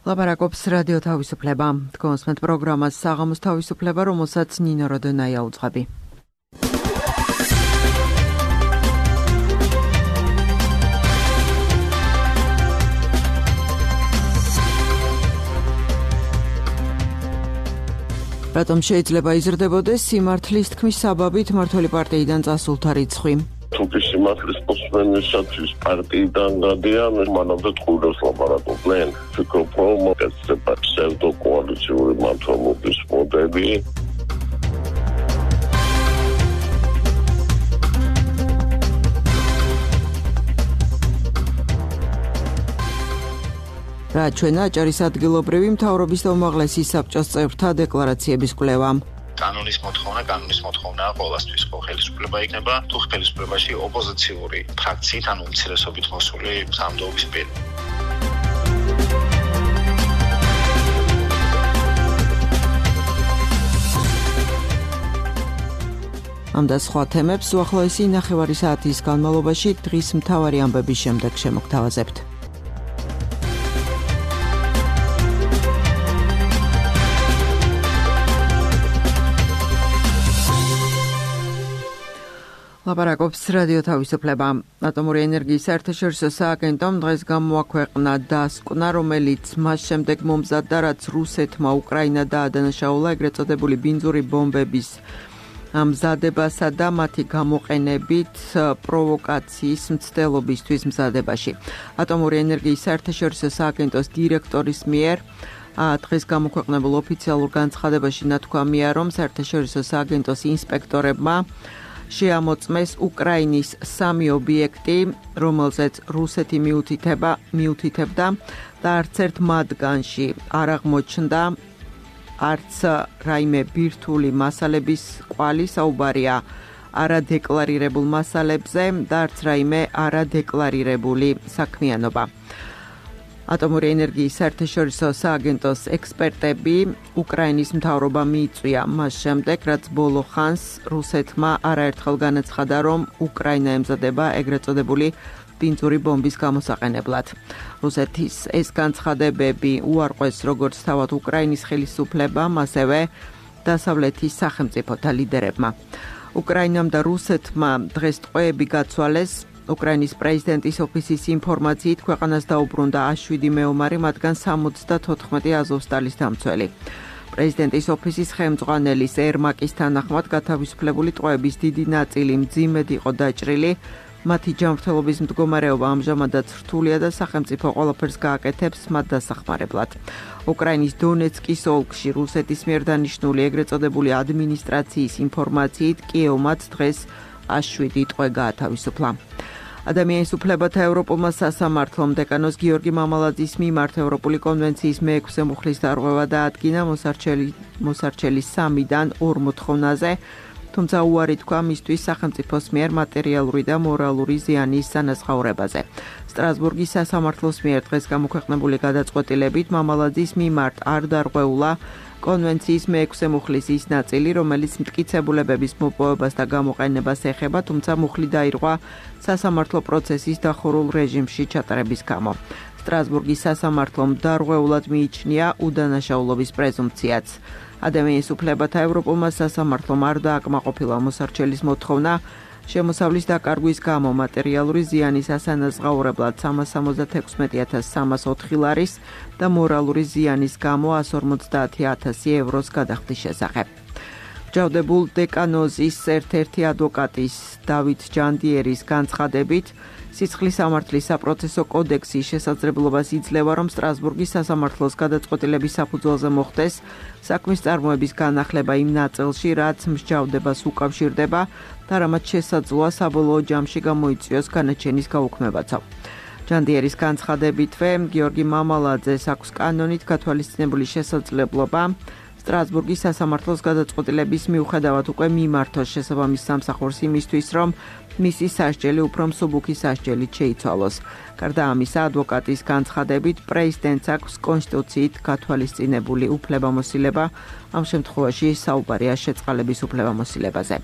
ლაპარაკობს რადიო თავისუფლება. თქვენსმეთ პროგრამას საღამოს თავისუფლება, რომელსაც ნინო როდონაია უძღვები. რატომ შეიძლება იზრდებოდეს სიმართლის თქმის საბაბით მმართველი პარტიიდან წასულთა რიცხვი? თუკი სიმართლის პოსტმენისათვის პარტიიდან გადიან, მანამდე ტყუილებს ლაპარაკობდნენ. ვფიქრობ, რომ ესება ფსევდოკოალიციური მმართველობის მოდელი. რა ჩვენა აჭარის ადგილობრივი მთავრობის და უმაღლესი საბჭოს წევრთა დეკლარაციების კვლევა. კანონის მოთხოვნაა ყოველთვის ხო ხელისუფლება იქნება თუ ხელისუფლებაში ოპოზიციური ფრაქციით ან უმცირესობით მოსული სამდოობის პირი. ამ და სხვა თემებს უახლოესი ნახევარი საათის განმავლობაში დღის მთავარი ამბების შემდეგ შემოგთავაზებთ. ლაპარაკობს რადიო თავისუფლება. ატომური ენერგიის საერთაშორისო სააგენტომ დღეს გამოაქვეყნა დასკვნა, რომელიც მას შემდეგ მომზადდა, რაც რუსეთმა უკრაინა დაადანაშაულა ეგრეთ წოდებული ბინძური ბომბების მზადებასა და მათი გამოყენებით პროვოკაციის მცდელობისთვის მზადებაში. ატომური ენერგიის საერთაშორისო სააგენტოს დირექტორის მიერ დღეს გამოქვეყნებულ ოფიციალურ განცხადებაში ნათქვამია, რომ საერთაშორისო სააგენტოს ინსპექტორებმა შეამოწმეს უკრაინის 3 ობიექტი, რომელზეც რუსეთი მიუთითებდა და არც ერთ მათგანში არ აღმოჩნდა არც რაიმე ბირთვული მასალების კვალი, საუბარია არადეკლარირებულ მასალებზე და არც რაიმე არადეკლარირებული საქმიანობა. ატომური ენერგიის საერთაშორისო სააგენტოს ექსპერტები უკრაინის მთავრობამ მიიწვია მას შემდეგ, რაც ბოლო ხანს რუსეთმა არაერთხელ განაცხადა, რომ უკრაინა ემზადება ეგრეთ წოდებული ბინძური ბომბის გამოსაყენებლად. რუსეთის ეს განცხადებები უარყვეს როგორც თავად უკრაინის ხელისუფლებამ, ასევე დასავლეთის სახელმწიფოთა ლიდერებმა. უკრაინამ და რუსეთმა დღეს ტყვეები გაცვალეს. უკრაინის პრეზიდენტის ოფისის ინფორმაციით ქვეყანას დაუბრუნდა 7 მეომარი, მათგან 74 აზოვსტალის დამცველი. პრეზიდენტის ოფისის ხელმძღვანელის ერმაკის თანახმად გათავისუფლებული ტყვეების დიდი ნაწილი მძიმედ იყო დაჭრილი. მათი ჯანმრთელობის მდგომარეობა ამჟამადაც რთულია და სახელმწიფო ყველაფერს გააკეთებს მათ დასახმარებლად. უკრაინის დონეცკის ოლქში რუსეთის მიერ დანიშნული ეგრეთ წოდებული ადმინისტრაციის ინფორმაციით კიევმაც დღეს 7 ტყვე გაათავისუფლა. ადამიანის უფლებათა ევროპულმა სასამართლომ დეკანოს გიორგი მამალაძის მიმართ ევროპული კონვენციის მე-6 მუხლის დარღვევა დაადგინა მოსარჩელის 3-დან 2 მოთხოვნაზე, თუმცა უარი თქვა მისთვის სახელმწიფოს მიერ მატერიალური და მორალური ზიანის სანაზღაურებაზე. სტრასბურგის სასამართლოს მიერ დღეს გამოქვეყნებული გადაწყვეტილებით მამალაძის მიმართ არ დარღვეულა კონვენციის მე-6 მუხლის ის ნაწილი, რომელიც მტკიცებულებების მოპოვებას და გამოყენებას ეხება, თუმცა მუხლი დაირღვა სასამართლო პროცესის დახურულ რეჟიმში ჩატარების გამო. სტრასბურგის სასამართლომ დარღვეულად მიიჩნია უდანაშაულობის პრეზუმპციაც. ადამიანის უფლებათა ევროპულმა სასამართლომ არ დააკმაყოფილა მოსარჩელის მოთხოვნა შემოსავლის დაკარგვის გამო მატერიალური ზიანის ასანაზღაურებლად 376.304 ლარის და მორალური ზიანის გამო 150.000 ევროს გადახდის შესახებ. ჯავდებულ დეკანოზის ერთ-ერთი ადვოკატის დავით ჯანდიერის განცხადებით, სიცხლის სამართლის საპროცესო კოდექსის შესაძლებლობას იძლევა, რომ სტრასბურგის სასამართლოს გადაწყვეტილების საფუძველზე მოხდეს საქმის წარმოების განახლება იმ ნაწილში, რაც მსჯავრდებას უკავშირდება და რამაც შესაძლოა საბოლოო ჯამში გამოიწვიოს განაჩენის გაუქმებაცო. ჯანდიერის განცხადებითვე, გიორგი მამალაძეს აქვს კანონით გათვალისწინებული შესაძლებლობა სტრასბურგის სასამართლოს გადაწყვეტილების მიუხედავად უკვე მიმართოს შესაბამის სამსახურს იმისთვის, რომ მისი სასჯელი უფრო მსუბუქი სასჯელით შეიცვალოს. გარდა ამისა, ადვოკატის განცხადებით, პრეზიდენტს აქვს კონსტიტუციით გათვალისწინებული უფლებამოსილება, ამ შემთხვევაში საუბარია შეწყალების უფლებამოსილებაზე.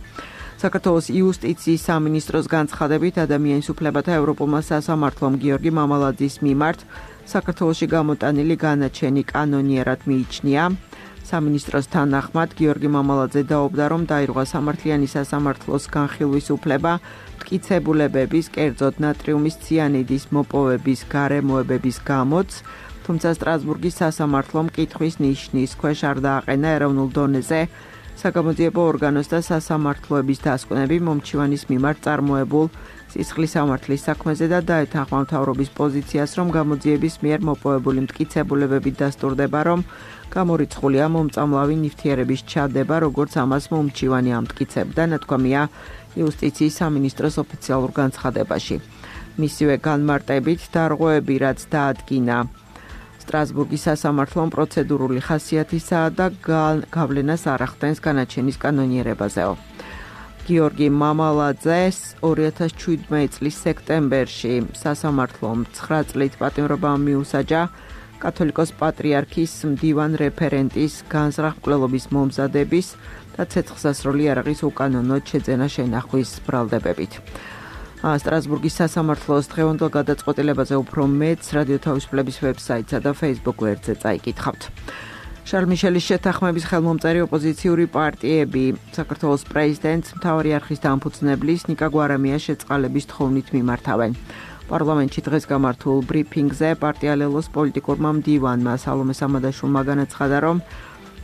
საქართველოს იუსტიციის სამინისტროს განცხადებით, ადამიანის უფლებათა ევროპულმა სასამართლომ გიორგი მამალაძის მიმართ საქართველოში გამოტანილი განაჩენი კანონიერად მიიჩნია. სამინისტროს თანახმად გიორგი მამალაძე დაობდა, რომ დაირღვა სამართლიანი სასამართლოს განხილვის უფლება მტკიცებულებების, კერძოდ ნატრიუმის ციანიდის მოპოვების გარემოებების გამოც, თუმცა სტრასბურგის სასამართლომ კითხვის ნიშნის ქვეშ არ დააყენა ეროვნულ დონეზე საგამოძიებო ორგანოს და სასამართლოების დასკვნები მომჩივანის მიმართ წარმოებულ სისხლის სამართლის საქმეზე და დაეთანხმა მთავრობის პოზიციას, რომ გამოძიების მიერ მოპოვებული მტკიცებულებებით დასტურდება, რომ გამორიცხულია მომწამლავი ნივთიერების ჩადება, როგორც ამას მომჩივანი ამტკიცებდა, ნათქვამია იუსტიციის სამინისტროს ოფიციალურ განცხადებაში. მისივე განმარტებით დარღვევები, რაც დაადგინა სტრასბურგის სასამართლომ პროცედურული ხასიათისაა და გავლენას არ ახდენს განაჩენის კანონიერებაზეო. გიორგი მამალაძეს 2017 წლის სექტემბერში სასამართლომ 9 წლით პატიმრობა მიუსაჯა კათოლიკოს პატრიარქის მდივან რეფერენტის განზრახ მკვლელობის მომზადების და ცეცხლსასროლი იარაღის უკანონოდ შეძენა შენახვის ბრალდებებით. სტრასბურგის სასამართლოს დღევანდელ გადაწყვეტილებაზე უფრო მეც რადიო თავისუფლების ვებსაიტსა და Facebook გვერდზე წაიკითხავთ. შარლ მიშელის შეთანხმების ხელმომწერი ოპოზიციური პარტიები საქართველოს პრეზიდენტს მთავარი არხის დამფუძნებლის ნიკა გვარამიას შეწყალების თხოვნით მიმართავენ. პარლამენტში დღეს გამართულ ბრიფინგზე პარტია-ლელოს პოლიტიკურმა მდივანმა სალომე სამადაშვილმა განაცხადა, რომ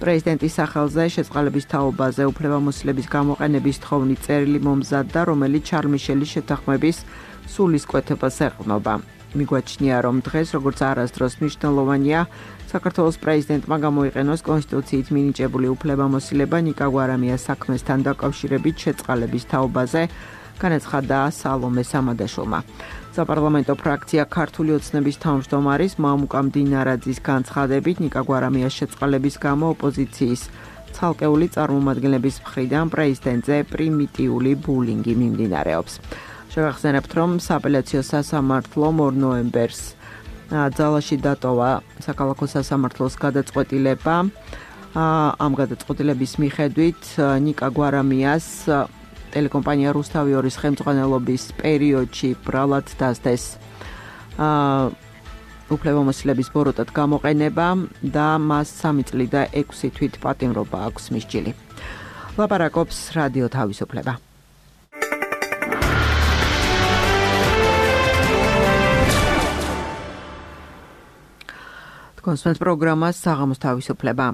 პრეზიდენტის სახელზე შეწყალების თაობაზე უფლებამოსილების გამოყენების თხოვნით წერილი მომზადდა, რომელიც შარლ მიშელის შეთანხმების სულისკვეთებას ეყრდნობა. მიგვაჩნია, რომ დღეს როგორც არასდროს მნიშვნელოვანია საქართველოს პრეზიდენტმა გამოიყენოს კონსტიტუციით მინიჭებული უფლებამოსილება ნიკა გვარამიას საქმესთან დაკავშირებით შეწყალების თაობაზე, განაცხადა სალომე სამადაშვილმა. საპარლამენტო ფრაქცია ქართული ოცნების თავმჯდომარის მამუკა მდინარაძის განცხადებით ნიკა გვარამიას შეწყალების გამო ოპოზიციის ცალკეული წარმომადგენლების მხრიდან პრეზიდენტზე პრიმიტიული ბულინგი მიმდინარეობს. შევახსენებთ, რომ სააპელაციო სასამართლომ 2 ნოემბერს ძალაში დატოვა საქალაქო სასამართლოს გადაწყვეტილება. ამ გადაწყვეტილების მიხედვით ნიკა გვარამიას ტელეკომპანია რუსთავი 2-ის ხელმძღვანელობის პერიოდში ბრალად დასდეს უფლებამოსილების ბოროტად გამოყენება და მას 3 წელი და 6 თვით პატიმრობა აქვს მისჯილი. ლაპარაკობს რადიო თავისუფლება. კონსპენს პროგრამას საღამოს თავისუფლება.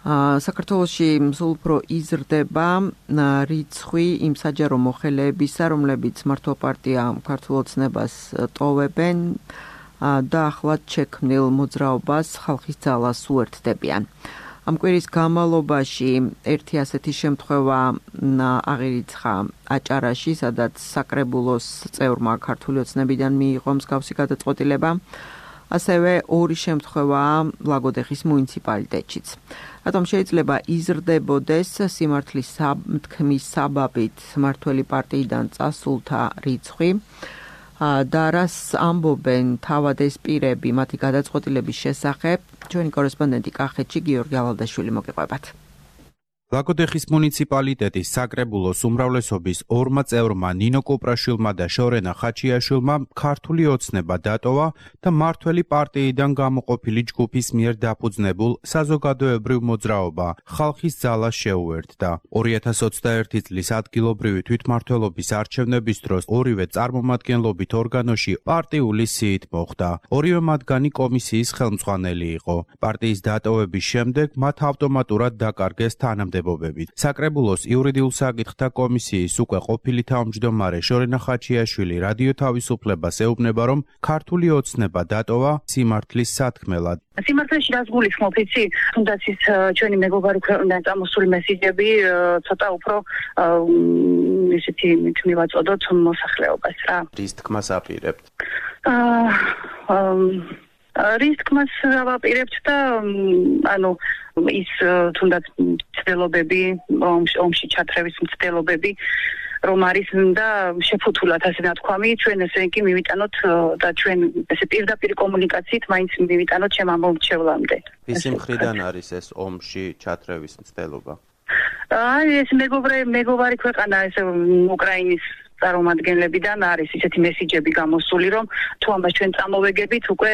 საქართველოში სულ უფრო იზრდება რიცხვი იმ საჯარო მოხელეებისა, რომლებიც მართვა პარტია ქართულ ოცნებას ტოვებენ და ახლად შექმნილ მოძრაობას ხალხის ძალას უერთდებიან. ამ კვირის განმავლობაში ერთი ასეთი შემთხვევა აღირიცხა აჭარაში, სადაც საკრებულოს წევრმა ქართული ოცნებიდან მიიღო მსგავსი გადაწყვეტილება. ასევე 2 შემთხვევაა ლაგოდეხის მუნიციპალიტეტშიც. რატომ შეიძლება იზრდებოდეს სიმართლის თქმის საბაბით მართველი პარტიიდან წასულთა რიცხვი და რას ამბობენ თავად ეს პირები მათი გადაწყვეტილების შესახებ, ჩვენი კორესპონდენტი კახეთში გიორგი ალადაშვილი მოგიყვებათ. ლაგოდეხის მუნიციპალიტეტის საკრებულოს უმრავლესობის 2 წევრმა ნინო კუპრაშვილმა და შორენა ხაჩიაშვილმა ქართული ოცნება დატოვა და მართველი პარტიიდან გამოყოფილი ჯგუფის მიერ დაფუძნებულ საზოგადოებრივ მოძრაობა ხალხის ძალა შეუერთდა. 2021 წლის ადგილობრივი თვითმმართველობის არჩევნების დროს ორივე წარმომადგენლობით ორგანოში პარტიული სიით მოხვდა. ორივე მათგანი კომისიის ხელმძღვანელი იყო. პარტიის დატოვების შემდეგ მათ ავტომატურად დაკარგეს თანამდებობები. საკრებულოს იურიდიულ საკითხთა კომისიის უკვე ყოფილი თავმჯდომარე შორენა ხაჩიაშვილი რადიო თავისუფლებას ეუბნება, რომ ქართული ოცნება დატოვა სიმართლის სათქმელად. სიმართლეში რას გულისხმობ, იცი? თუნდაც ის ჩვენი მეგობარი ქვეყნიდან წამოსული მესიჯები ცოტა უფრო ისეთი მივაწოდოთ მოსახლეობას რა. რის თქმას აპირებთ? რის თქმას ავაპირებთ და ანუ ის თუნდაც მცდელობები, ომში ჩათრევის მცდელობები რომ არის და შეფუთულად ასე ნათქვამი, ჩვენ ესე იგი მივიტანოთ და ჩვენ ესე პირდაპირ კომუნიკაციით მაინც მივიტანოთ ჩემ ამომრჩევლამდე. ისი მხრიდან არის ეს ომში ჩათრევის მცდელობა? ეს მეგობარი ქვეყანა ესე უკრაინის წარმომადგენლებიდან არის ისეთი მესიჯები გამოსული, რომ თუ ამას ჩვენ წამოვეგებით, უკვე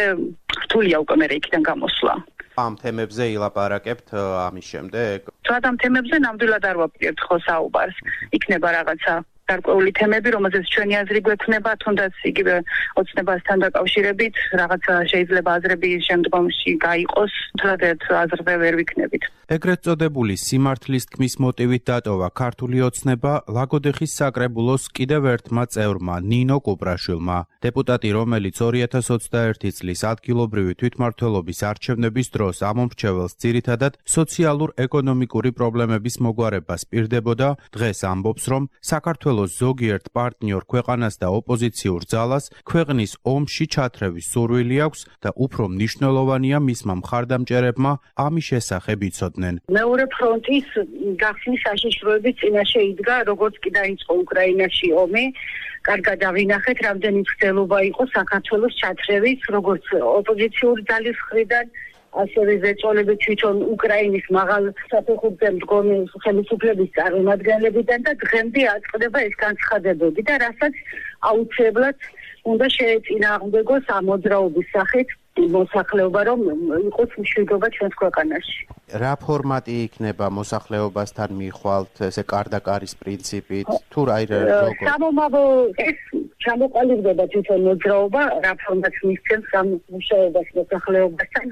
რთულია უკვე მე იქიდან გამოსვლა. ამ თემებზე ილაპარაკებთ ამის შემდეგ? ამ თემებზე ნამდვილად არ ვაპირებთ ხო საუბარს. იქნება რაღაცა გარკვეული თემები, რომელზეც ჩვენი აზრი გვექნება, თუნდაც იგივე ოცნებასთან დაკავშირებით, რაღაცა შეიძლება აზრები შემდგომში გაიყოს, თუნდაც აზრზე ვერ ვიქნებით. ეგრეთ წოდებული სიმართლის თქმის მოტივით დატოვა ქართული ოცნება ლაგოდეხის საკრებულოს კიდევ ერთმა წევრმა ნინო კუპრაშვილმა. დეპუტატი, რომელიც 2021 წლის ადგილობრივი თვითმმართველობის არჩევნების დროს ამომრჩეველს ძირითადად სოციალურ-ეკონომიკური პრობლემების მოგვარებას პირდებოდა, დღეს ამბობს, რომ საქართველოს ზოგიერთ პარტნიორ ქვეყანას და ოპოზიციურ ძალას ქვეყნის ომში ჩათრევის სურვილი აქვს და უფრო მნიშვნელოვანია მისმა მხარდამჭერებმა ამის შესახებ იცოდნენ. მეორე ფრონტის გახსნის საშიშროების წინაშე იდგა, როგორც კი დაიწყო უკრაინაში ომი. კარგად დავინახეთ, რამდენი მცდელობა იყო საქართველოს ჩათრევის, როგორც ოპოზიციური ძალის მხრიდან, ასევე ზეწოლები თვითონ უკრაინის მაღალ საფეხურზე მდგომი ხელისუფლების წარმომადგენლებიდან და დღემდე აწყდება ეს განცხადებები და რასაც აუცილებლად უნდა შეეწინააღმდეგოს ამ მოძრაობის სახით მოსახლეობა, რომ იყოს მშვიდობა ჩვენს ქვეყანაში. რა ფორმატი იქნება მოსახლეობასთან მიხვალთ, ესე კარდაკარის პრინციპით, თუ სამომავლო ეს ჩამოყალიბდება თვითონ მოძრაობა, რა ფორმატს მისცემს ამ მუშაობას მოსახლეობასთან,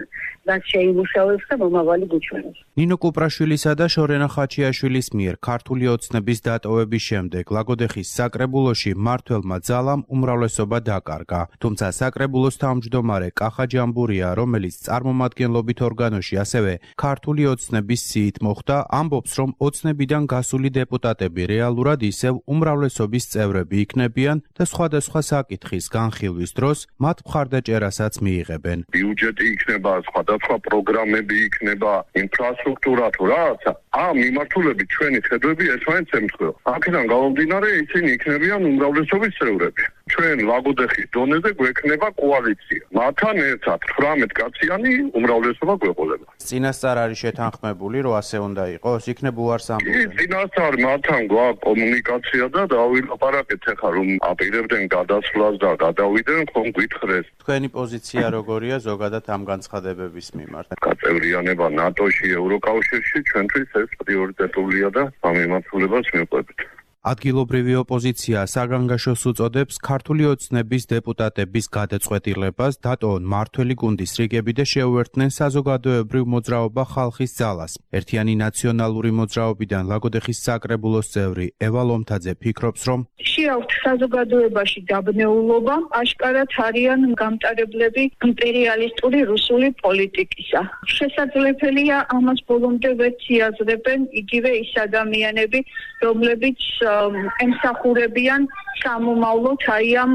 რაც შეიმუშავებს და მომავალი გუჩვენებს. ნინო კუპრაშვილისა და შორენა ხაჩიაშვილის მიერ ქართული ოცნების დატოვების შემდეგ ლაგოდეხის საკრებულოში მმართველმა ძალამ უმრავლესობა დაკარგა, თუმცა საკრებულოს თავმჯდომარე კახა ჯამბურია, რომელიც წარმომადგენლობით ორგანოში ასევე ქართული ოცნების სიით მოხვდა, ამბობს, რომ ოცნებიდან გასული დეპუტატები რეალურად ისევ უმრავლესობის წევრები იქნებიან და სხვადასხვა საკითხის განხილვის დროს მათ მხარდაჭერასაც მიიღებენ. ბიუჯეტი იქნება, სხვადასხვა პროგრამები იქნება, ინფრასტრუქტურა თუ რაღაცა. ამ მიმართულებით ჩვენი ხედვები ერთმანეთს ემთხვევა. აქედან გამომდინარე, ისინი იქნებიან უმრავლესობის წევრები. ჩვენ ლაგოდეხის დონეზე გვექნება კოალიცია. მათთან ერთად 18 კაციანი უმრავლესობა გვეყოლება. წინასწარ არის შეთანხმებული, რომ ასე უნდა იყოს, იქნებ უარს ამბობენ. წინასწარ მათთან გვაქვს კომუნიკაცია და დავილაპარაკეთ ახლა რომ აპირებდნენ გადასვლას და გადავიდნენ, ხომ გითხრეს. თქვენი პოზიცია როგორია ზოგადად ამ განცხადებების მიმართ? გაწევრიანება ნატოში, ევროკავშირში ჩვენთვის ეს პრიორიტეტულია და ამ მიმართულებას მივყვებით. ადგილობრივი ოპოზიცია საგანგაშოს უწოდებს ქართული ოცნების დეპუტატების გადაწყვეტილებას დატოვონ მმართველი გუნდის რიგები და შეუერთდნენ საზოგადოებრივ მოძრაობა ხალხის ძალას. ერთიანი ნაციონალური მოძრაობიდან ლაგოდეხის საკრებულოს წევრი ევა ლომთაძე ფიქრობს, რომ შეაქვთ საზოგადოებაში დაბნეულობა, აშკარად არიან გამტარებლები იმპერიალისტური რუსული პოლიტიკისა. შესაძლებელია ამას ბოლომდე ვერც იაზრებენ იგივე ის ადამიანები, რომლებიც ემსახურებიან სამომავლოდ აი ამ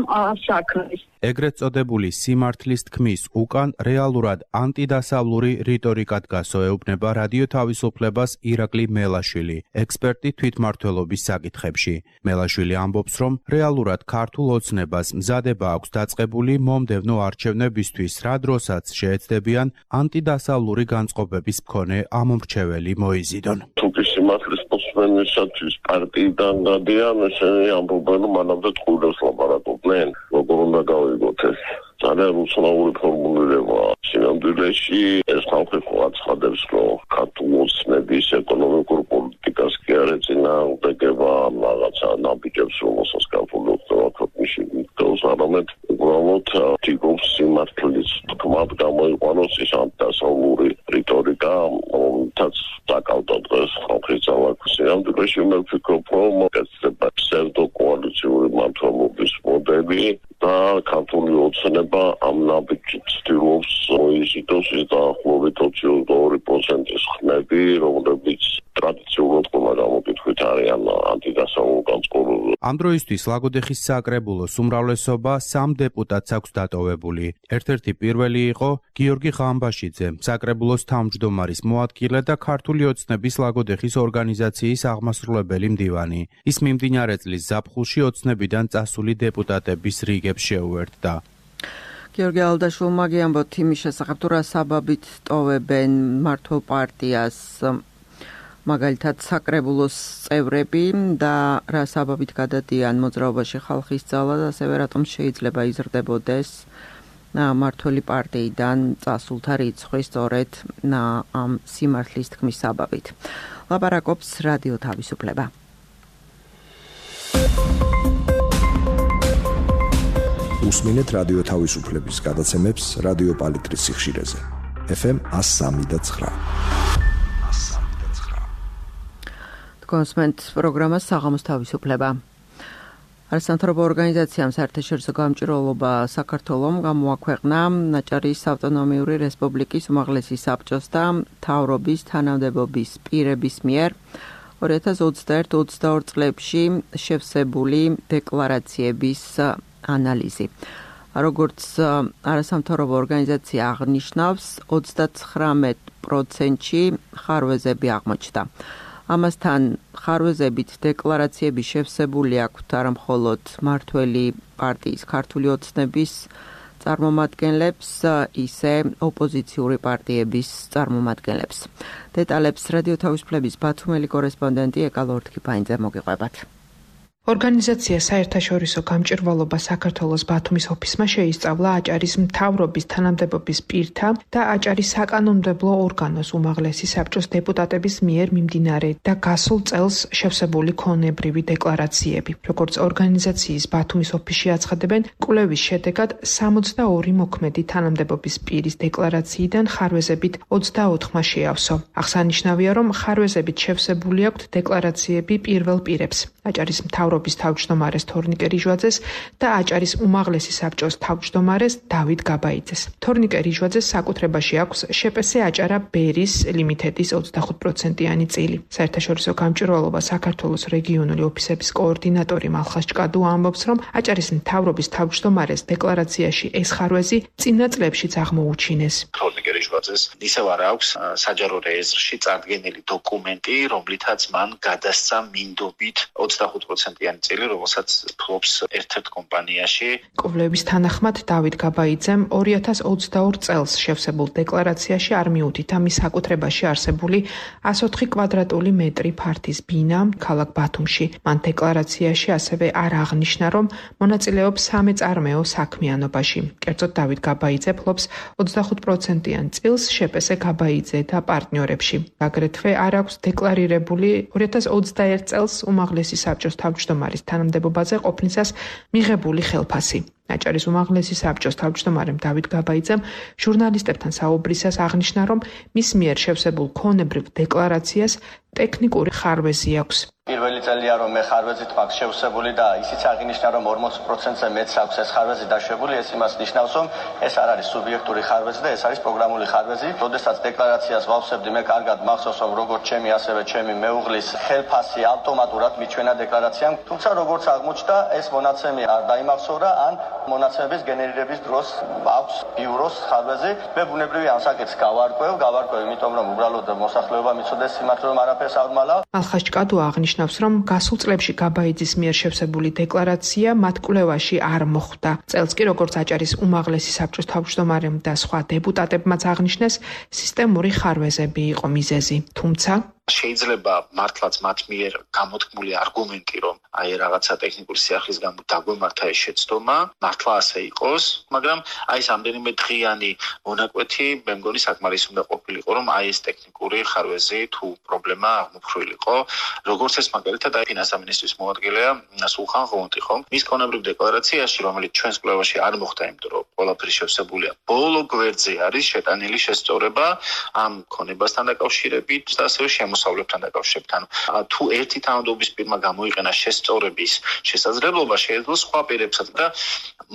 საქმეს. ეგრეთ წოდებული სიმართლის თქმის უკან რეალურად ანტიდასავლური რიტორიკა დგას, ეუბნება რადიო თავისუფლებას ირაკლი მელაშვილი, ექსპერტი თვითმმართველობის საკითხებში. მელაშვილი ამბობს, რომ რეალურად ქართულ ოცნებას მზადება აქვს დაწყებული მომდევნო არჩევნებისთვის, რა დროსაც შეეცდებიან ანტიდასავლური განწყობების მქონე ამომრჩეველი მოიზიდონ. სიმართლის მოსმენისათვის პარტიიდან გადიან, ესენი ამბობენ, რომ მანამდე ტყუილებს ლაპარაკობდნენ, როგორ უნდა გავიგოთ ეს. ძალიან უცნაური ფორმულირება. სინამდვილეში ეს ხალხი ყურადღებას, რომ ქართული ოცნების ეკონომიკურ პოლიტიკას კი არ ეწინააღმდეგება რაღაცა ნაბიჯებს, რომელსაც ქართული ოცნება ქვეყნში მიგდოს, არამედ უბრალოდ თითქოს სიმართლის თქმად გამოიყვანოს ის ანტიდასავლური რიტორიკა, რომელთაც დაკავდა დღეს ხალხის ძალა. სინამდვილეში მე ვფიქრობ, რომ ეს ფსევდოკოალიციური მმართველობის მოდელი და ქართული ოცნება ამ ნაბიჯით ცდილობს მოიზიდოს ის დაახლოებით 22%-ის ხმები, რომლებიც ტრადიციულად ყველა გამოკითხვით არიან ანტიდასავლურ განწყობაზე. ამ დროისთვის ლაგოდეხის საკრებულოს უმრავლესობა 3 დეპუტატს აქვს დატოვებული. ერთ-ერთი პირველი იყო გიორგი ღამბაშიძე, საკრებულოს თავმჯდომარის მოადგილე და ქართული ოცნების ლაგოდეხის ორგანიზაციის აღმასრულებელი მდივანი. ის მიმდინარე წლის ზაფხულში ოცნებიდან წასული დეპუტატების რიგებს შეუერთდა. გიორგი ალდაშვილმა გიამბოთ იმის შესახებ, თუ რა საბაბით ტოვებენ მმართველ პარტიას. მაგალითად საკრებულოს წევრები და რა საბაბით გადადიან მოძრაობაში ხალხის ძალა და ასევე რატომ შეიძლება იზრდებოდეს მართველი პარტიიდან წასულთა რიცხვი სწორედ ამ სიმართლის თქმის საბაბით. ლაპარაკობს რადიო თავისუფლება. უსმინეთ რადიო თავისუფლების გადაცემებს რადიო პალიტრის სიხშირეზე. FM 103.9. კონსმენტ პროგრამა საღამოს თავისუფლება. არასამთავრობო ორგანიზაციამ საერთაშორისო გამჭირვალობა საქართველომ გამოაქვეყნა აჭარის ავტონომიური რესპუბლიკის უმაღლესი საბჭოს და მთავრობის თანამდებობის პირების მიერ 2021-22 წლებში შევსებული დეკლარაციების ანალიზი. როგორც არასამთავრობო ორგანიზაცია აღნიშნავს, 39%-ში ხარვეზები აღმოჩნდა. ამასთან ხარვეზებით დეკლარაციები შევსებული აქვთ არა მხოლოდ მართველი პარტიის ქართული ოცნების წარმომადგენლებს, ისე ოპოზიციური პარტიების წარმომადგენლებს. დეტალებს რადიო თავისუფლების ბათუმელი კორესპონდენტი ეკა ლორთქიფაინძე მოგიყვებათ. ორგანიზაცია საერთაშორისო გამჭირვალობა საქართველოს ბათუმის ოფისმა შეისწავლა აჭარის მთავრობის თანამდებობის პირთა და აჭარის საკანონმდებლო ორგანოს უმაღლესი საბჭოს დეპუტატების მიერ მიმდინარე და გასულ წელს შევსებული ქონებრივი დეკლარაციები. როგორც ორგანიზაციის ბათუმის ოფისში აცხადებენ, კვლევის შედეგად 62 მოქმედი თანამდებობის პირის დეკლარაციიდან ხარვეზებით 24-მა შეავსო. აღსანიშნავია, რომ ხარვეზებით შევსებული აქვთ დეკლარაციები პირველ პირებს. აჭარის მთავრობის თავმჯდომარეს თორნიკე რიჟვაძეს და აჭარის უმაღლესი საბჭოს თავმჯდომარეს დავით გაბაიძეს. თორნიკე რიჟვაძეს საკუთრებაში აქვს შპს აჭარა ბერის ლიმინტედის 25%-იანი წილი. საერთაშორისო გამჭირვალობა საქართველოს რეგიონული ოფისების კოორდინატორი მალხას ჭკადუ ამბობს, რომ აჭარის მთავრობის თავმჯდომარეს დეკლარაციაში ეს ხარვეზი წინა წლებშიც აღმოუჩინეს. თორნიკე რიჟვაძეს ისევ არ აქვს საჯარო რეესტრში წარდგენილი დოკუმენტი, რომლითაც მან გადასცა მინდობით 25%-იანი წილი, რომელსაც ფლობს ერთ-ერთ კომპანიაში. კვლევის თანახმად დავით გაბაიძემ 2022 წელს შევსებულ დეკლარაციაში არ მიუთითა მის საკუთრებაში არსებული 104 კვადრატული მეტრი ფართის ბინა ქალაქ ბათუმში. მან დეკლარაციაში ასევე არ აღნიშნა, რომ მონაწილეობს სამეწარმეო საქმიანობაში. კერძოდ დავით გაბაიძე ფლობს 25%-იან წილს შპს გაბაიძე და პარტნიორებში. აგრეთვე არ აქვს დეკლარირებული 2021 წელს უმაღლესი საბჭოს თავმჯდომარის თანამდებობაზე ყოფნისას მიღებული ხელფასი. აჭარის უმაღლესი საბჭოს თავმჯდომარემ დავით გაბაიძემ ჟურნალისტებთან საუბრისას აღნიშნა, რომ მის მიერ შევსებულ ქონებრივ დეკლარაციას ტექნიკური ხარვეზი აქვს. პირველი წელია რომ მე ხარვეზით მაქვს შევსებული და ისიც აღინიშნა რომ 40%-ზე მეც აქვს ეს ხარვეზი დაშვებული, ეს იმას ნიშნავს რომ ეს არ არის სუბიექტური ხარვეზი და ეს არის პროგრამული ხარვეზი. როდესაც დეკლარაციას ვავსებდი, მე კარგად მახსოვს რომ როგორც ჩემი ასევე ჩემი მეუღლის ხელფასი ავტომატურად მიჩვენა დეკლარაციამ, თუმცა როგორც აღმოჩნდა ეს მონაცემი არ დაიმახსოვრა ან მონაცემების გენერირების დროს აქვს ბიუროს ხარვეზი. მე ბუნებრივია ამ საკითხს გავარკვევ, იმიტომ რომ უბრალოდ მოსახლეობა მიცოდეს სიმართლე რომ არაფერს არ მალავ. მალხას ჭკადუ აღნიშნავს, რომ გასულ წლებში გაბაიძის მიერ შევსებული დეკლარაცია მათ კვლევაში არ მოხვდა. წელს კი როგორც აჭარის უმაღლესი საბჭოს თავმჯდომარემ და სხვა დეპუტატებმაც აღნიშნეს, სისტემური ხარვეზები იყო მიზეზი. თუმცა შეიძლება მართლაც მათ მიერ გამოთქმული არგუმენტი, რომ აი რაღაცა ტექნიკური სიახლის გამო დაგვემართა ეს შეცდომა, მართლა ასე იყოს, მაგრამ აი ეს ამდენიმე დღიანი მონაკვეთი მე მგონი საკმარისი უნდა ყოფილიყო, რომ აი ეს ტექნიკური ხარვეზი თუ პრობლემა აღმოფხვრილიყო, როგორც ეს მაგალითად აი ფინანსთა მინისტრის მოადგილეა სულხან ღონტი, ხო? მის ქონებრივ დეკლარაციაში, რომელიც ჩვენს კვლევაში არ მოხდა, იმიტომ რომ ყველაფერი შევსებულია ბოლო გვერდზე არის შეტანილი შესწორება ამ ქონებასთან დაკავშირებით და ასევე მოსავლებთან დაკავშირებით. თუ ერთი თანამდებობის პირმა გამოიყენა შესწორების შესაძლებლობა, შეეძლო სხვა პირებსაც და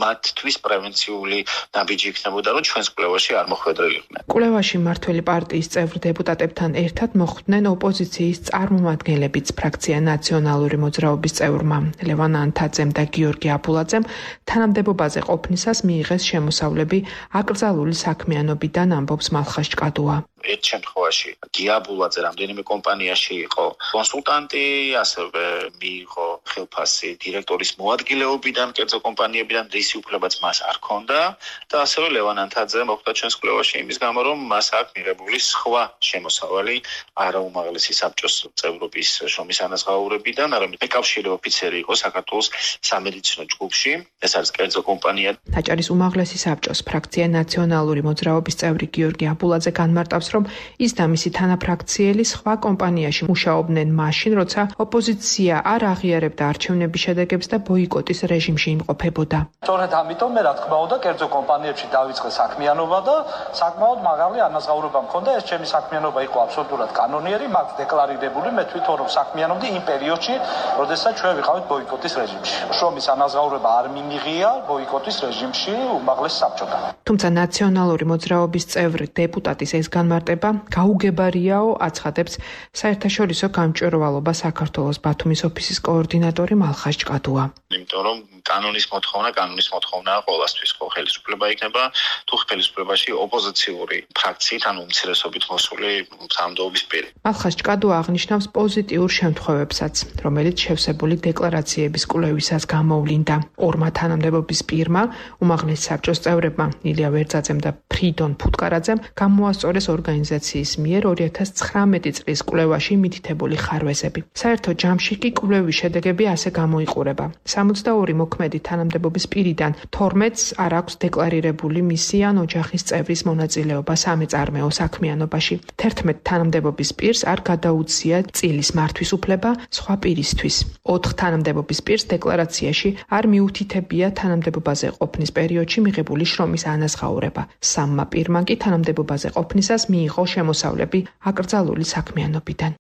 მათთვის პრევენციული ნაბიჯი იქნებოდა, რომ ჩვენს კვლევაში არ მოხვედრილიყვნენ. კვლევაში მართველი პარტიის წევრ დეპუტატებთან ერთად მოხვდნენ ოპოზიციის წარმომადგენლებიც ფრაქცია ნაციონალური მოძრაობის წევრმა ლევან ანთაძემ და გიორგი აბულაძემ თანამდებობაზე ყოფნისას მიიღეს შემოსავლები აკრძალული საქმიანობიდან, ამბობს მალხას ჭკადუა. ერთ შემთხვევაში გიაბულაძე რამდენიმე კომპანიაში იყო კონსულტანტი, ასევე მიიღო სახელფასი დირექტორის მოადგილეობიდან, კერძო კომპანიებიდან რისი უფლებაც მას არ ჰქონდა და ასევე ლევან ანთაძე მოხვდა ჩვენს კვლევაში იმის გამო, რომ მას აქვს მიღებული სხვა შემოსავალი არაუმაღლესი საბჭოს წევრობის შრომის ანაზღაურებიდან, არამედ მეკავშირე ოფიცერი იყო საქართველოს სამედიცინო ჯგუფში, ეს არის კერძო კომპანია. აჭარის უმაღლესი საბჭოს ფრაქცია ნაციონალური მოძრაობის წევრი გიორგი აბულაძე განმარტავს, რომ ის და მისი თანაფრაქციელი სხვა კომპანიაში მუშაობდნენ მაშინ, როცა ოპოზიცია არ აღიარებდა არჩევნების შედეგებს და ბოიკოტის რეჟიმში იმყოფებოდა. სწორედ ამიტომ მე რა თქმა უნდა კერძო კომპანიებში დავიწყე საქმიანობა და საკმაოდ მაღალი ანაზღაურება მქონდა. ეს ჩემი საქმიანობა იყო აბსოლუტურად კანონიერი, მაქვს დეკლარირებული, მე თვითონ რომ საქმიანობდი იმ პერიოდში, როდესაც ჩვენ ვიყავით ბოიკოტის რეჟიმში. შრომის ანაზღაურება არ მიმიღია ბოიკოტის რეჟიმში უმაღლეს საბჭოდან. თუმცა ნაციონალური მოძრაობის წევრი დეპუტატის ეს განმარტება გაუგებარიაო, აცხადებს საერთაშორისო გამჭვირვალობა საქართველოს ბათუმის ოფისის კოორდინატორი მალხაზ ჭკადუა. იმიტომ რომ კანონის მოთხოვნაა ყოველთვის, ხო ხელისუფლება იქნება თუ ხელისუფლებაში ოპოზიციური ფრაქციით, ანუ უმცირესობით მოსული სამთავრობის პირი. მალხაზ ჭკადუა აღნიშნავს პოზიტიურ შემთხვევებსაც, რომელიც შევსებული დეკლარაციების კვლევისას გამოვლინდა. ორმა თანამდებობის პირმა, უმაღლეს საბჭოს წევრებმა ილია ვერძაძემ და ფრიდონ ფუტკარაძემ გამოასწორეს ორგანიზაციის მიერ 2019 წლის კვლევაში მითითებული ხარვეზები. საერთო ჯამში კი კვლევის შედეგები ასე გამოიყურება. 62 მოქმედი თანამდებობის პირიდან 12-ს არ აქვს დეკლარირებული მისი ან ოჯახის წევრის მონაწილეობა სამეწარმეო საქმიანობაში. 11 თანამდებობის პირს არ გადაუცია წილის მართვის უფლება სხვა პირისთვის. 4 თანამდებობის პირს დეკლარაციაში არ მიუთითებია თანამდებობაზე ყოფნის პერიოდში მიღებული შრომის ანაზღაურება. 3 პირმა კი თანამდებობაზე ყოფნისას მიიღო შემოსავლები აკრძალული საქმიანობიდან.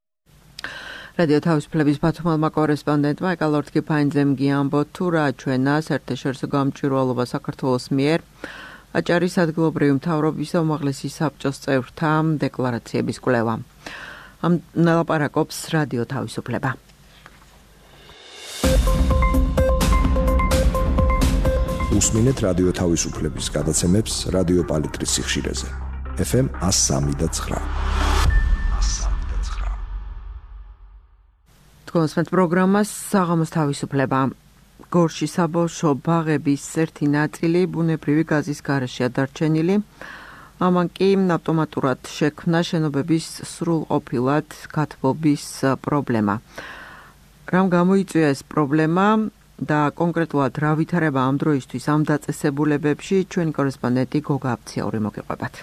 რადიო თავისუფლების ბათუმელმა კორესპონდენტმა ეკალორთ კიფაინძემ გიამბო თუ რა ჩვენა საერთაშორისო გამჭვირვალობა საქართველოს მიერ აჭარის ადგილობრივი მთავრობის უმაღლესი საბჭოს წევრთა დეკლარაციების კვლევა. ამ ნელაპარაკობს რადიო თავისუფლება. უსმინეთ რადიო თავისუფლების გადაცემებს რადიო პალიტრის სიხშირეზე. FM 103.9. თქვენს პროგრამას საღამოს თავისუფლება. გორში საბავშვო ბაღების ერთი ნაწილი ბუნებრივი გაზის გარეშეა დარჩენილი. ამან კი ავტომატურად შექმნა შენობების სრულყოფილად გათბობის პრობლემა. რამ გამოიწვია ეს პრობლემა და კონკრეტულად რა ვითარება ამ დროისთვის ამ დაწესებულებებში ჩვენი კორესპონდენტი გოგა აფციური მოგიყვებათ.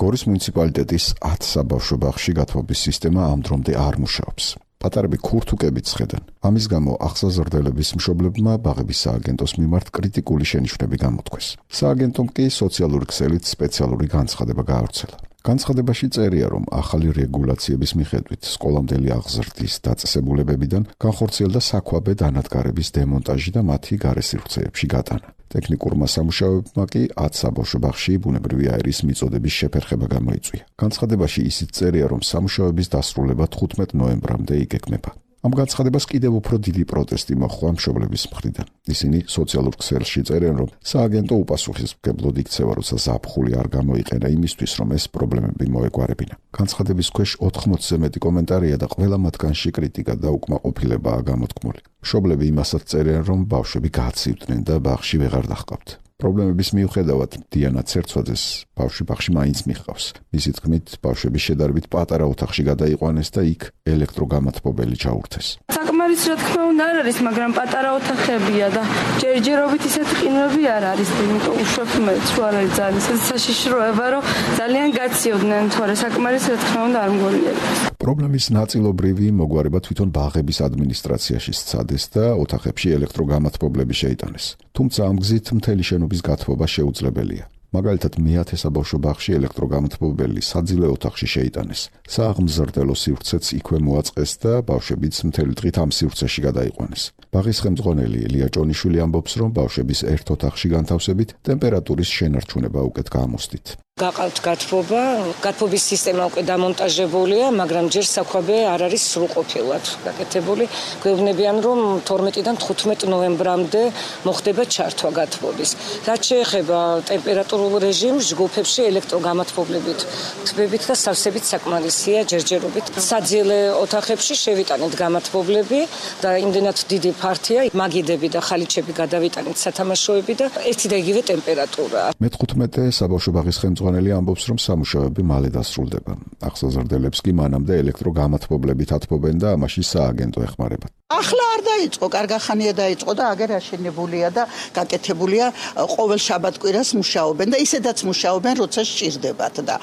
გორის მუნიციპალიტეტის 10 საბავშვო ბაღში გათბობის სისტემა ამ დრომდე არ მუშაობს. პატარები ქურთუკებით ხედან. ამის გამო აღსაზრდელების მშობლებმა ბაღების სააგენტოს მიმართ კრიტიკული შენიშვნები გამოთქვეს. სააგენტომ კი სოციალური ქსელით სპეციალური განცხადება გაავრცელა. განცხადებაში წერია, რომ ახალი რეგულაციების მიხედვით სკოლამდელი აღზრდის დაწესებულებებიდან განხორციელდა საქვაბე დანადგარების დემონტაჟი და მათი გარესივრცეებში გატანა. ტექნიკურმა სამუშაოებმა კი 10 საბავშვო ბაღში ბუნებრივი აირის მიწოდების შეფერხება გამოიწვია. განცხადებაში ისიც წერია, რომ სამუშაოების დასრულება 15 ნოემბრამდე იგეგმება. ამ განცხადებას კიდევ უფრო დიდი პროტესტი მოჰყვა მშობლების მხრიდან. ისინი სოციალურ ქსელში წერენ, რომ სააგენტო უპასუხისმგებლოდ იქცევა, როცა ზაფხული არ გამოიყენა იმისთვის, რომ ეს პრობლემები მოეგვარებინა. განცხადების ქვეშ 80-ზე მეტი კომენტარია და ყველა მათგანში კრიტიკა და უკმაყოფილებაა გამოთქმული. მშობლები იმასაც წერენ, რომ ბავშვები გაცივდნენ და ბაღში ვეღარ დაჰყავთ. პრობლემების მიუხედავად დიანა ცერცვაძეს ბავშვი ბაღში მაინც მიჰყავს. მისი თქმით, ბავშვები შედარებით პატარა ოთახში გადაიყვანეს და იქ ელექტროგამათბობელი ჩაურთეს. საკმარის რა თქმა უნდა არ არის, მაგრამ პატარა ოთახებია და ჯერჯერობით ისეთი ყინვები არ არის, იმიტომ უშვებ მე თუ არ არის ძალიან საშიშროება, რომ ძალიან გაციოდნენ, თორე საკმარის რა თქმა უნდა არ მგონიათ. პრობლემის ნაწილობრივი მოგვარება თვითონ ბაღების ადმინისტრაციაში სცადეს და ოთახებში ელექტროგამათბობლები შეიტანეს. თუმცა ამ გზით მთელი შენობის გათბობა შეუძლებელია. მაგალითად, მე-10 საბავშვო ბაღში ელექტროგამათბობელი საძილე ოთახში შეიტანეს. სააღმზრდელო სივრცეც იქვე მოაწყეს და ბავშვებიც მთელი დღით ამ სივრცეში გადაიყვანეს. ბაღის ხელმძღვანელი ელია ჭონიშვილი ამბობს, რომ ბავშვების ერთ ოთახში განთავსებით ტემპერატურის შენარჩუნება უკეთ გამოსდით. გაყავთ გათბობის სისტემა უკვე დამონტაჟებულია, მაგრამ ჯერ საქვაბე არ არის სრულყოფილად გაკეთებული. გვეუბნებიან, რომ 12-დან 15 ნოემბრამდე მოხდება ჩართვა გათბობის. რაც შეეხება ტემპერატურულ რეჟიმს, ჯგუფებში ელექტროგამათბობლებით, თბებით და სავსებით საკმარისია ჯერჯერობით. საძილე ოთახებში შევიტანეთ გამათბობლები და იმდენად დიდი ფართია, მაგიდები და ხალიჩები გადავიტანეთ სათამაშოები და ერთი და იგივე ტემპერატურაა. მე-15 საბავშვო ბაღის ხელმძღვანელი ამბობს, რომ სამუშაოები მალე დასრულდება. ახსოზრდელებს კი მანამდე ელექტროგამათბობლებით ათბობენ და ამაში სააგენტო ეხმარება. ახლა არ დაიწყო, კარგახანია დაიწყო და აგერ აშენებულია და გაკეთებულია, ყოველ შაბათ-კვირას მუშაობენ და ისედაც მუშაობენ, როცა სჭირდებათ და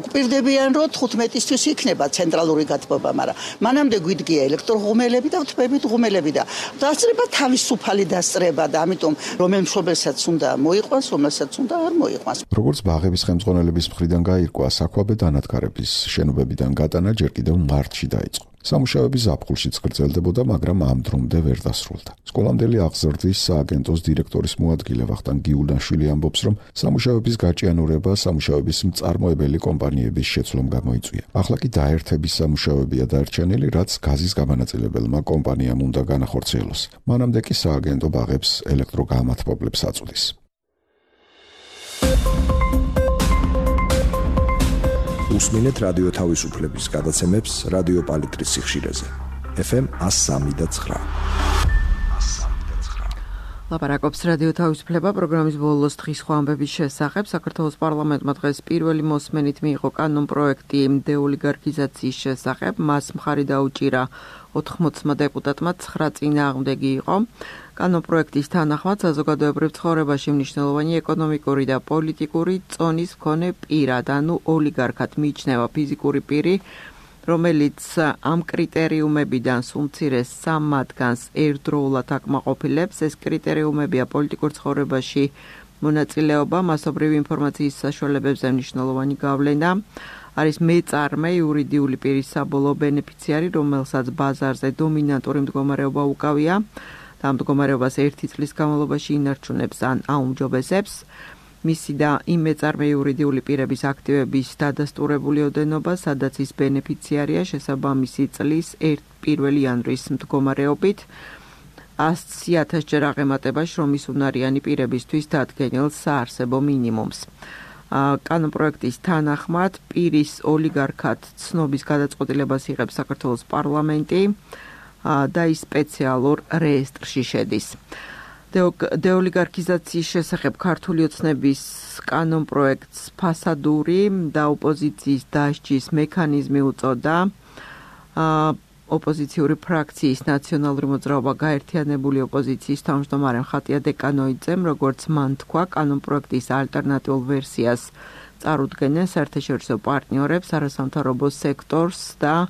გვპირდებიან, რომ 15-ისთვის იქნება ცენტრალური გათბობა, მაგრამ მანამდე გვიდგია ელექტროღუმელები და თბებით ღუმელები და დასწრება თავისუფალი დასწრება და ამიტომ რომელ მშობელსაც უნდა მოიყვანს, რომელსაც უნდა არ მოიყვანს. როგორც ბაღების ხელმძღვანელების მხრიდან გაირკვა, საქვაბე დანადგარების შენობებიდან გატანა ჯერ კიდევ მარტში დაიწყო. სამუშაოები ზაფხულშიც გრძელდებოდა, მაგრამ ამ დრომდე ვერ დასრულდა. სკოლამდელი აღზრდის სააგენტოს დირექტორის მოადგილე ვახტანგ გიულდანშვილი ამბობს, რომ სამუშაოების გაჭიანურება სამუშაოების მწარმოებელი კომპანიების შეცვლომ გამოიწვია. ახლა კი დაერთების სამუშაოებია დარჩენილი, რაც გაზის გამანაწილებელმა კომპანიამ უნდა განახორციელოს. მანამდე კი სააგენტო ბაღებს ელექტროგამათბობლებს აწვდის. უსმინეთ რადიო თავისუფლების გადაცემებს რადიო პალიტრის სიხშირეზე. FM 103.9. ლაპარაკობს რადიო თავისუფლება პროგრამის ბოლოს დღის ხვამბების შესახებ. საქართველოს პარლამენტმა დღეს პირველი მოსმენით მიიღო კანონპროექტი დეოლიგარქიზაციის შესახებ. მას მხარი დაუჭირა 80 დეპუტატმა, 9 წინააღმდეგი იყო. კანონპროექტის თანახმად საზოგადოებრივ ცხოვრებაში მნიშვნელოვანი ეკონომიკური და პოლიტიკური წონის მქონე პირად, ანუ ოლიგარქად მიიჩნევა ფიზიკური პირი, რომელიც ამ კრიტერიუმებიდან სულ მცირე 3 მათგანს ერთდროულად აკმაყოფილებს. ეს კრიტერიუმებია პოლიტიკურ ცხოვრებაში მონაწილეობა, მასობრივი ინფორმაციის საშუალებებზე მნიშვნელოვანი გავლენა, არის მეწარმე იურიდიული პირის საბოლოო ბენეფიციარი, რომელსაც ბაზარზე დომინანტური მდგომარეობა უკავია. და ამ მდგომარეობას 1 წლის განმავლობაში ინარჩუნებს ან აუმჯობესებს. მისი და იმ მეწარმე იურიდიული პირების აქტივების დადასტურებული ოდენობა, სადაც ის ბენეფიციარია შესაბამისი წლის 1 იანვრის მდგომარეობით 100,000 ჯერ აღემატება შრომის უნარიანი პირებისთვის დადგენილ საარსებო მინიმუმს. კანონპროექტის თანახმად პირის ოლიგარქად ცნობის გადაწყვეტილებას იღებს საქართველოს პარლამენტი და ის სპეციალურ რეესტრში შედის. დეოლიგარქიზაციის შესახებ ქართული ოცნების კანონპროექტს ფასადური და ოპოზიციის დასჯის მექანიზმი უწოდა. ოპოზიციური ფრაქციის ნაციონალური მოძრაობა გაერთიანებული ოპოზიციის თავმჯდომარე ხატია დეკანოიძემ, როგორც მან თქვა, კანონპროექტის ალტერნატიულ ვერსიას წარუდგენენ საერთაშორისო პარტნიორებს, არასამთავრობო სექტორს და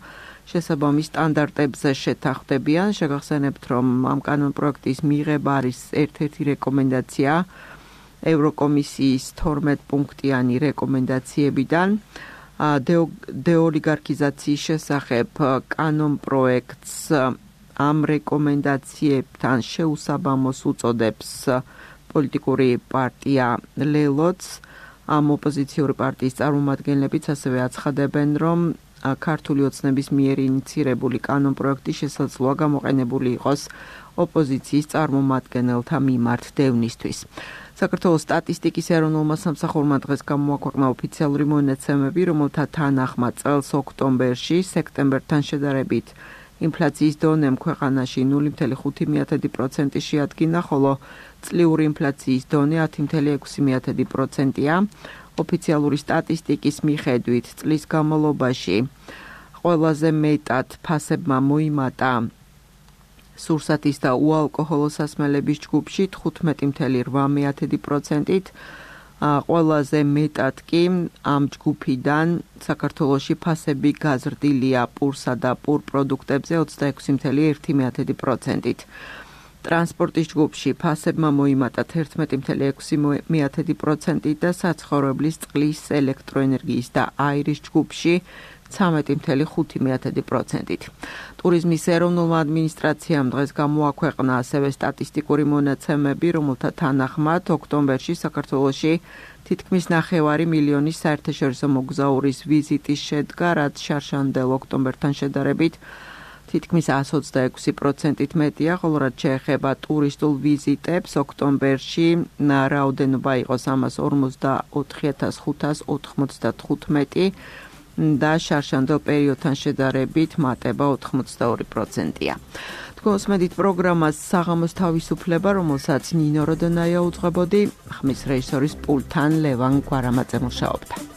შესაბამის სტანდარტებზე შეთანხმდებიან. შეგახსენებთ, რომ ამ კანონპროექტის მიღება არის ერთ-ერთი რეკომენდაცია ევროკომისიის 12 პუნქტიანი რეკომენდაციებიდან. დეოლიგარქიზაციის შესახებ კანონპროექტს ამ რეკომენდაციებთან შეუსაბამოს უწოდებს პოლიტიკური პარტია ლელოც. ამ ოპოზიციური პარტიის წარმომადგენლებიც ასევე აცხადებენ, რომ ქართული ოცნების მიერ ინიცირებული კანონპროექტი შესაძლოა გამოყენებული იყოს ოპოზიციის წარმომადგენელთა მიმართ დევნისთვის. საქართველოს სტატისტიკის ეროვნულმა სამსახურმა დღეს გამოაქვეყნა ოფიციალური მონაცემები, რომელთა თანახმად წელს ოქტომბერში სექტემბერთან შედარებით ინფლაციის დონემ ქვეყანაში 0.5% შეადგინა, ხოლო წლიური ინფლაციის დონე 10.6%-ია. ოფიციალური სტატისტიკის მიხედვით წლის განმავლობაში ყველაზე მეტად ფასებმა მოიმატა სურსათის და უალკოჰოლო სასმელების ჯგუფში 15.8%-ით, ყველაზე მეტად კი ამ ჯგუფიდან საქართველოში ფასები გაზრდილია პურსა და პურ პროდუქტებზე 26.1%-ით. ტრანსპორტის ჯგუფში ფასებმა მოიმატა 11.6%-ით და საცხოვრებლის წყლის, ელექტროენერგიის და აირის ჯგუფში 13.5%-ით. ტურიზმის ეროვნულმა ადმინისტრაციამ დღეს გამოაქვეყნა ასევე სტატისტიკური მონაცემები, რომელთა თანახმად ოქტომბერში საქართველოში თითქმის 9 მილიონი საერთაშორისო მოგზაურის ვიზიტის შედგა, რაც შარშანდელ ოქტომბერთან შედარებით თითქმის 126%-ით მეტია, ხოლო რაც შეეხება ტურისტულ ვიზიტებს, ოქტომბერში რაოდენობა იყო 344,595 და შარშანდელ პერიოდთან შედარებით მატება 82%-ია. თქვენს მედით პროგრამას საღამოს თავისუფლება, რომელსაც ნინო როდონაია უძღვებოდი, ხმის რეჟისორის პულტთან ლევან გვარამაძე მუშაობდა.